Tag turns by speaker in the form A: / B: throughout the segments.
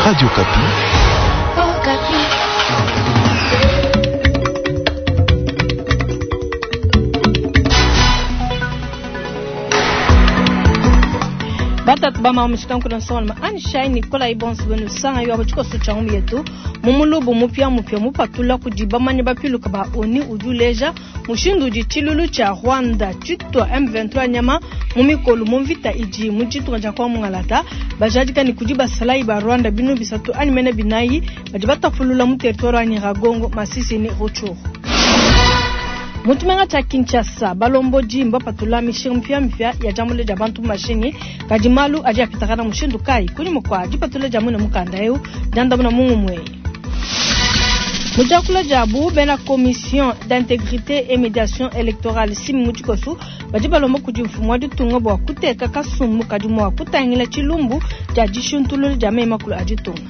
A: Radio Okapi.
B: Batatu ba mamu shikanku na nsonga Anshai Nikolai bonso benu sanga yo tshikoso tshia ngumu yetu mu mulubu mupia mupia mupatula kudi bamanyi bapiluka ba ONU udi uleja mushindu udi tshilulu tshia Rwanda tshitua M23 nyama mu mikolo mu mvita idi mu ditunga dia kwa mungalata bajadika ni kudi basalayi ba Rwanda binu bisatu anyi mene binayi badi batapulula mu territoire wa Nyiragongo, Masisi ni Rutshuru. Mu tshimenga tshia Kinshasa balombodi mbapatula mishinga mipiamipia ya diambula dia bantu mu mashinyi, kadi malu adi apitakana mushindu kayi kunyima kua dipatula dia muine mukanda eu diandamuna mu ngumu eyi. Mu diakula diabu bena commission d'intégrité et médiation électorale simi mu tshikoso badi balomba kudi mfumu wa ditunga bua kuteka kasumbu kadi mua kutangila tshilumbu dia dishintulula dia meyi makulu a ditunga.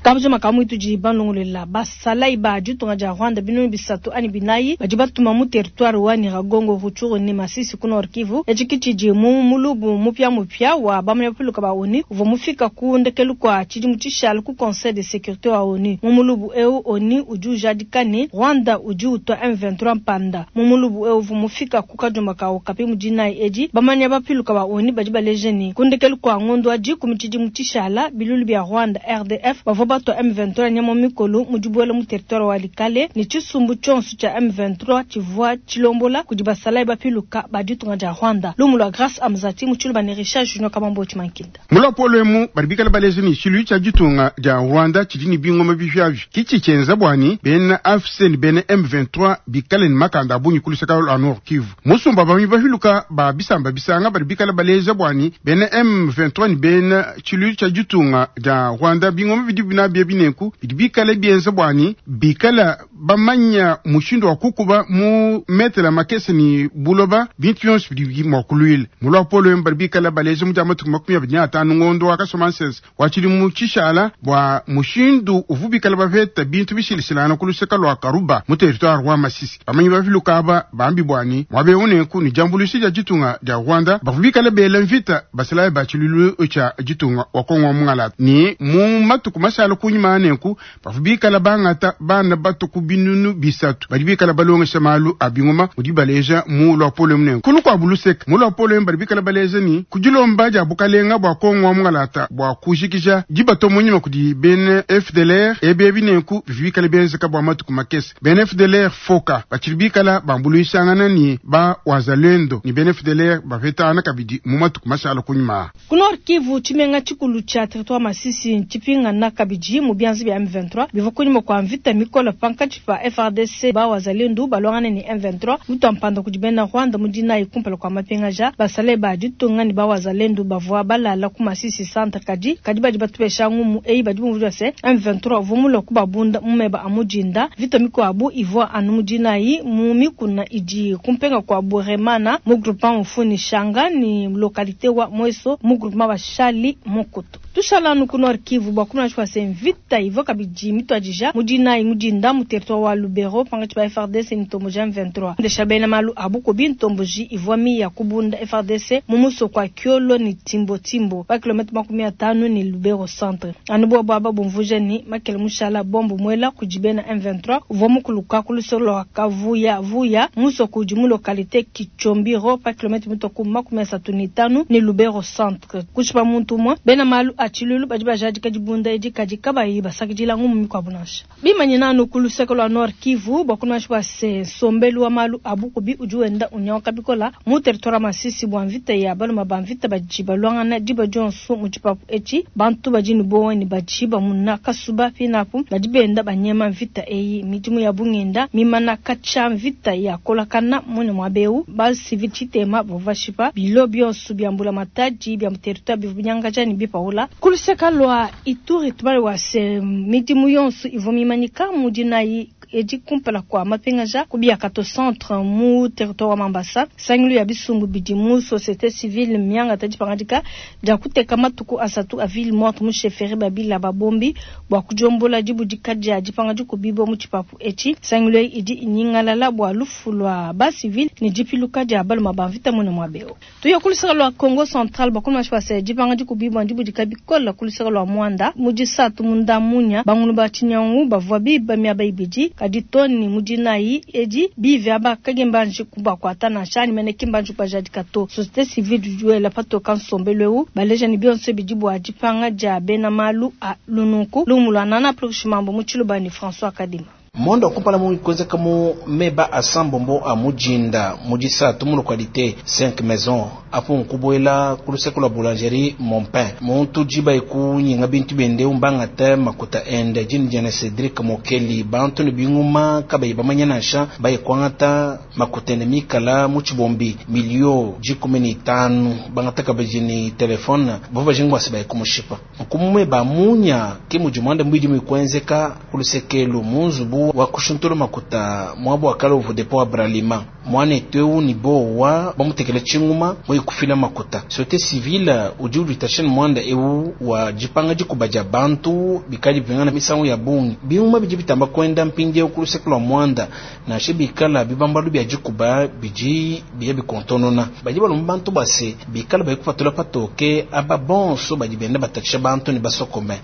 B: Kabujima ka muitu di balongolola basalayi ba ditunga dia Rwanda binunu bisatu anyi binayi badi batuma mu territoire wa Nyiragongo, Rutshuru ne Masisi ku Nord Kivu. Etshi ke tshidi mu mulubu mupiamupia wa bamanyi bapiluka ba ONU uvua mufika ku ndekelu kua tshidimu tshishala ku Conseil de sécurité wa ONU. Mu mulubu eu ONU udi ujadika ne Rwanda udi utua M23 mpanda. Mu mulubu eu uvua mufika ku kadiomba ka Okapi mu dinayi edi, bamanyi bapiluka ba ONU badi baleja ne ku ndekelu kua ngondo wa dikumi tshidimu tshishala bilulu bia Rwanda RDF bavua batua M23 nyama mikolo mu dibuela mu territoire wa Likale ne tshisumbu tshionso tshia M23 tshivua tshilombola kudi basalayi bapiluka ba ditunga dia Rwanda. Lumu lua Grace Amzati mu tshiluba ne Richard Junior Kamambo Tshimankinda.
C: Mu luapolo emu badi bikale baleja ne tshiluilu tshia ditunga dia Rwanda tshidi ne bingoma bipiabipia ke tshidi tshienza bua ne bena AFC ne bena M23 bikale ne makanda a bungi ku luseke lua Nord Kivu. Musumba bamanyi bapiluka ba bisamba bisanga badi bikale baleja bua ne bena M23 ne bena tshiluilu tshia ditunga dia Rwanda bingoma bidi nabi ebi nenku bidi bikale bienza bua ne bikale bamanya mushindu wa kukuba mu metela makese ne buloba bintu bionso bidi mua kuluila. Mu luapolo emu badi bikale baleja mu dia matuku 25 ngondo wa Kasomansese wa tshidimu tshishala bua mushindu uvua bikale bapeta bintu bishilashilangana ku luseke lua Karuba mu territoire wa Masisi. Bamanyi bapiluka aba bambi bua ne muaba eu nenku ne diambuluisha dia ditunga dia Rwanda bavua bikale bela mvita basalayi ba tshiluilu tshia ditunga wa Kongo wa mungalata ne mu matuku mashala kunyima nenku bavua bikale bangata bana bato ku binunu bisatu badi bikale balongesha malu a bingoma mudi baleja mu luapolo emu nenku. Ku lukuabu luseke mu luapolo emu badi bikale baleja ne ku dilomba dia bukalenga bua Kongo wa mungalata bua kujikija dibatua mu nyima kudi bena FDLR ebi ebi nenku bivua bikale bienzeka bua matuku makese. Bena FDLR foka batshidi bikala bambuluishangana ne ba wazalendo ne bena FDLR bapetangana kabidi mu matuku mashala kunyima.
B: Ku Nord Kivu, tshimenga tshikulu tshia territoire Masisi ntshipingana kabidi mu bianza bia M23 bivua kunyima kua mvita mikole pankatshi pa FARDC ba wazalendo baluangane ne M23 mutua mpanda kudi bena Rwanda mu dinayi kumpala kua mapingaja. Basalayi ba ditunga ne ba wazalendo bavua balala ku Masisi centre kadi kadi badi batupesha ngumu eyi badi bumvuija se M23 uvua mulue kubabunda mu meba a mu dinda. Mvita mikuabu ivua anu mu dinayi mu mikuna idi kumpenga kua Buremana mu groupement Mufuni Shanga ne localité wa Mweso mu groupement wa Shali Mokoto. Tushala anu ku Nord Kivu bua kumona tshivua se mvita ivua kabidi mituadija mu dinayi mu dinda mu territoire wa Lubero pankatshi pa FARDC ne ntomboji M23. Ndesha bena malu a bukubi ntomboji ivua miya kubunda FARDC mu musoko wa Kiolo ne Timbo Timbo pa kilomètre 50 ne Lubero centre. Anu bobu aba bumvuija ne makele mushala bombo muela kudi bena M23 uvua mukuluka ku luseke lua Kavuya Vuya musoko udi mu localité Kichombiro pa kilomètre mitoku 35 ne Lubero centre. Kushipa muntu umue bena malu a tshiluilu badi bajadika dibunda edi kadi kabayi basakidila ngumu mikuabu nansha. Bimanyina anu ku luseke lua Nord Kivu bua kumanya bua se nsombelu wa malu a bukubi udi wenda unyanguka bikola mu territoire wa Masisi bua mvita ya baluma ba mvita badi baluangana diba dionso mu tshipapu etshi. Bantu badi ne buowa ne badi bamuna kasuba pinapu badi benda banyema mvita eyi. Midimu ya bungenda mimana katshia mvita ya kolakana mune muaba eu ba civil tshitema bavua bashipa bilo bionso bia mbulamatadi bia mu territoire bivua binyangaja ne bipaula. Ku luseke lua Ituri tubale wa se midimu yonso ivua mimanyika mu dinayi. edi kumpala kua mapingaja ku Biakato centre mu territoire wa Mambasa. Nsangilu ya bisumbu bidi mu societe civile miangata dipangadika dia kuteka matuku asatu a ville morte mu chefferie Babila Babombi bua kudiombola dibudika dia dipanga dikubibua mu tshipapu etshi. Nsangilu eyi idi inyingalala bua lufu lua ba civile ne dipiluka dia baluma ba mvita muine muaba eu. Tuye ku luseke lua Kongo Central bua kumanya bua se dipanga dikubibua ndibudika bikole ku luseke lua Muanda. Mu disatu munda munya, bangulu ba tshinyangu bavua biba miaba ibidi, kadi too ne mu dinayi edi bivi aba ki mbanji kubakuata nansha anyi mene ki mbanji kubajadika to. Societe civile udi wela patoka nsombelu eu, baleja ne bionso bidi bua dipanga dia bena malu a lununku. Lumu lua Nana Plurishimambo mu Tshiluba ne François Kadima.
A: Mwanda wa kumpala mu kuenzeka mu meba asambombo a mujinda mu disatu mu localité 5 maison apo nkubuela ku luseke lua boulangerie mon pain muntu diba ekunyinga bintu biende umbangata makuta ende dini diana Cedric Mokeli bantu ne binguma kabayi bamanya nansha baye kuangata makuta ende mikala mu tshibombi milio 15 bangata kabidi ni telefone bavua bajinga bua se baye kumushipa nkumwe bamunya ke mudi mwanda mbidi mikuenzeka ku lusekelu mu nzubu wa kushuntula makuta mwabo wa kala uvu depo wa Bralima mwana etu ni bowa bamutekela tshinguma moyi kufila makuta société civile udi uditasha mwanda eu wa dipanga dikuba dia bantu bikali bingana misangu ya bungi binguma bidi bitamba kwenda mpindi ku luseke lua mwanda nansha bikala bibambalu bia dikuba bidi biya bikontonona badi balomba bantu base bikala bayi kupatula patoke aba bonso badi benda batatshisha bantu ne basokome.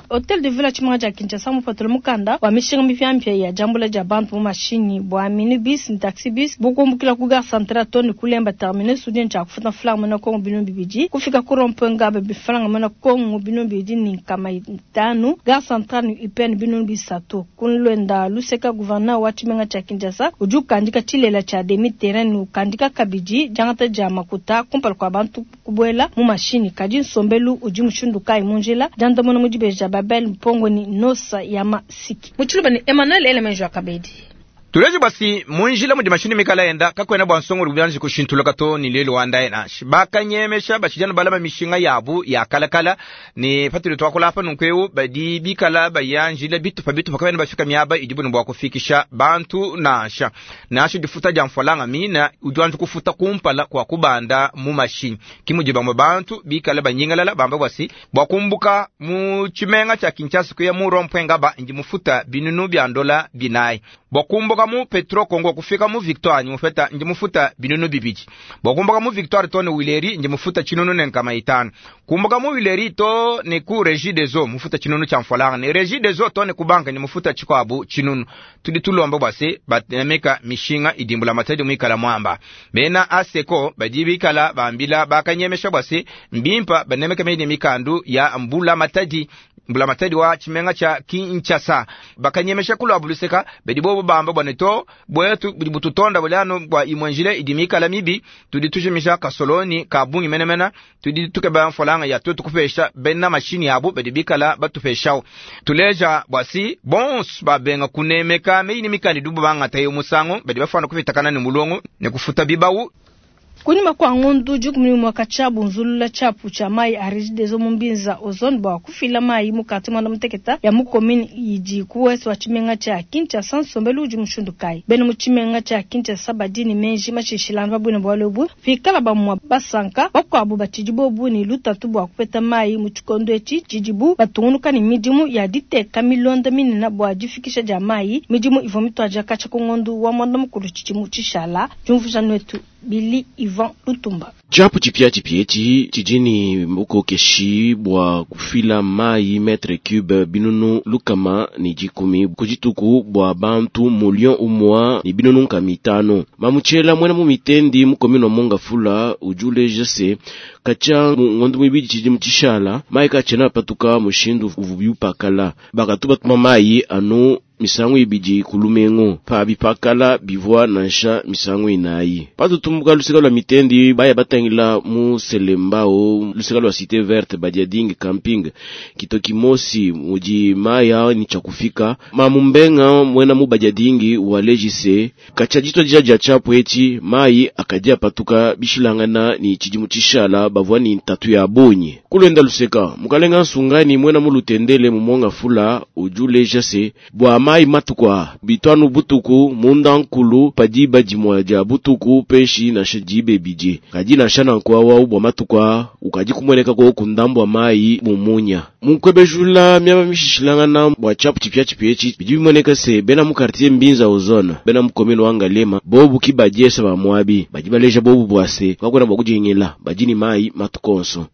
B: Hotel de Ville tshimenga tshia Kinshasa mupatula mukanda wa mishinga mipiamipia ya diambula dia bantu mu mashinyi bua minibus ne taxi bus bukumbukila ku gare centrale to ne kulemba terminus udi tshia kufuta mfulanga muena Kongo 2000 kufika ku rond-point Ngaba bifalanga muena Kongo 2500 gare centrale ne UPN 3000 kunlwenda luseka gouverneur wa tshimenga tshia Kinshasa udi ukandika tshilela tshia demi terrain ne ukandika kabidi diangata dia makuta kumpala kua bantu kubuela mu mashinyi kadi nsombelu udi mushindu kayi mu njila diandamuna mu dibeja Babel Mpongo ni Nosa ya Masiki. Muchiluba ni Emmanuel Elemenjo Akabedi.
D: Tuleje basi munjila mudi mashini mikala enda kakwena bwa nsongo lubyanje kushintula kato ni lelo wanda ena bakanyemesha bashijana balama mishinga yabu ya kalakala ni patuli twakola hapa nunkweu badi bikala bayanjila bitupa bitupa kabena bafika miaba idibu bwa kufikisha bantu nasha nasha difuta ja mfalanga mina udwanze kufuta kumpala kwa kubanda mu mashini kimuji bamwe bantu bikala banyingalala bamba bwasi bwa kumbuka mu chimenga cha Kinshasa kuya mu rompwenga ba ndi mufuta binunu bya ndola binai bwa kumbuka mu Petro Kongo kufika mu Victoire ndi mufuta binunu bibiji bwa kumbuka mu Victoire to ne Wileri ndi mufuta chinunu ne nkama itano kumbuka mu Wileri to ne ku Régie des Eaux mufuta chinunu cha mfolanga ne Régie des Eaux to ne ku banka ndi mufuta chikwabu chinunu tudi tulomba bwase batemeka mishinga idimbula matadi mwikala mwamba bena aseko badibikala bambila bakanyemesha bwase mbimpa banemeka mede mikandu ya mbula matadi mbula matadi wa chimenga cha Kinshasa bakanyemesha kulwa buluseka bedibobo bamba bwaneto bwetu bututonda bulano bwa imwenjile idimikala mibi tudi tujimisha kasoloni kabungi menemena tudi tukeba mfolanga ya tutu kupesha bena mashini yabo bedibikala batupeshao tuleja bwasi bons babenga kunemeka meini mikandi dubu banga tayo musango bedibafana kufitakana ni mulongo ne kufuta bibawu.
B: Kunyuma kwa ngundu jukumuni mwaka chabu nzulula chapu cha mai a Regideso mumbinza ozone bwa kufila mai mukati mwana muteketa ya mukomini idi kuwesu wa chimenga cha Kinshasa nsombelu udi mushindu kai beno mu chimenga cha Kinshasa badini menji mashishilano babwina bwa lobu fikala bamwa basanka bakwabo batshidi bobu ni lutatu bwa kupeta mai mu tshikondo etshi tshidibu batungunuka ni midimu ya diteka milonda minene bwa difikisha dia mai midimu ivua mituaja katshia ku ngondu wa mwanda mukulu tshidimu tshishala diumvuija netu Billy Ivan Lutumba.
E: Chapu chipya chipyechi chijini bukokeshi bwa kufila mai metre cube binunu lukama ni jikumi kujituku bwa bantu million umwa ni binunu nkamitano. Mamuchela mwena mu mitendi mukomino monga fula ujule jese kacha ngondu mwibidi chiji mchishala mai kachena patuka mushindu uvubyupakala bakatuba tuma mai anu misangu ibidi ku lumingu, pabi pakala bivua nansha misangu inayi. Patutumbuka luseka lua mitendi baya batangila mu Selembao, luseka lua Cité Verte Badiadingi Camping Kitoki Mosi mudi maya ni tshakufika mamumbenga mwena mu Badiadingi wa lejise kacha ditwa dia dia tshiapu etshi mayi akadi apatuka bishilangana ni tshidimu tshishala bavua ni ntatu ya bonyi. Kulenda luseka mukalenga nsungani mwena mu lutendele mumonga fula ujuleja se bua mayi matukwa bitwanu butuku munda nkulu padiba dimua dia butuku peshi nansha dibe bidi kadi nansha nanku awa bua matukwa ukadi kumueneka ko kundambwa mayi mumunya munkwebejula miaba mishishilangana bua tshiapu tshipia tshipia etshi bidi bimueneka se bena mu quartier Mbinza ozone bena mu commune wa Ngaliema bobu ki badiesa ba muabi badi baleja bobu bua se kakwena bua kudingila badi ni mayi matukonso.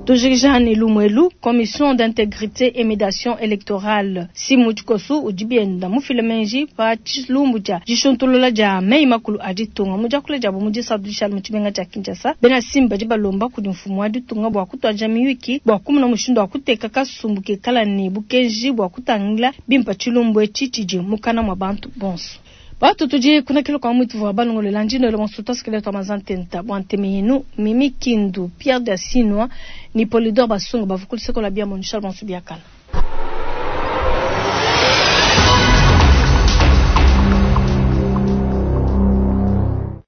B: Tujikijane Lumwelu, Commission d'intégrité et médiation électorale simu tshikosu udi bienda mufile menji pa tshilumbu tshia dishuntulula dia meyi makulu a ditunga mu diakula diabo mu disatu dishale mu tshimenga tshia Kinshasa. Bena Simba badi balomba kudi mfumu wa ditunga bua kutuadija miyuki bua kumona mushindu wa kuteka kasumbu kekala ne bukenji bua kutangila bimpa tshilumbu etshi tshidi mukana mwa bantu bonso. Batu tudi kuna kilo kwa mwitu wa balongolela njino ile monsuta skeleto mazantenta bwa ntemeyinu Mimi Kindu Pierre Dasinwa ni Polidor Basunga bavukul sekola bia mon Charles Bonsu biakala.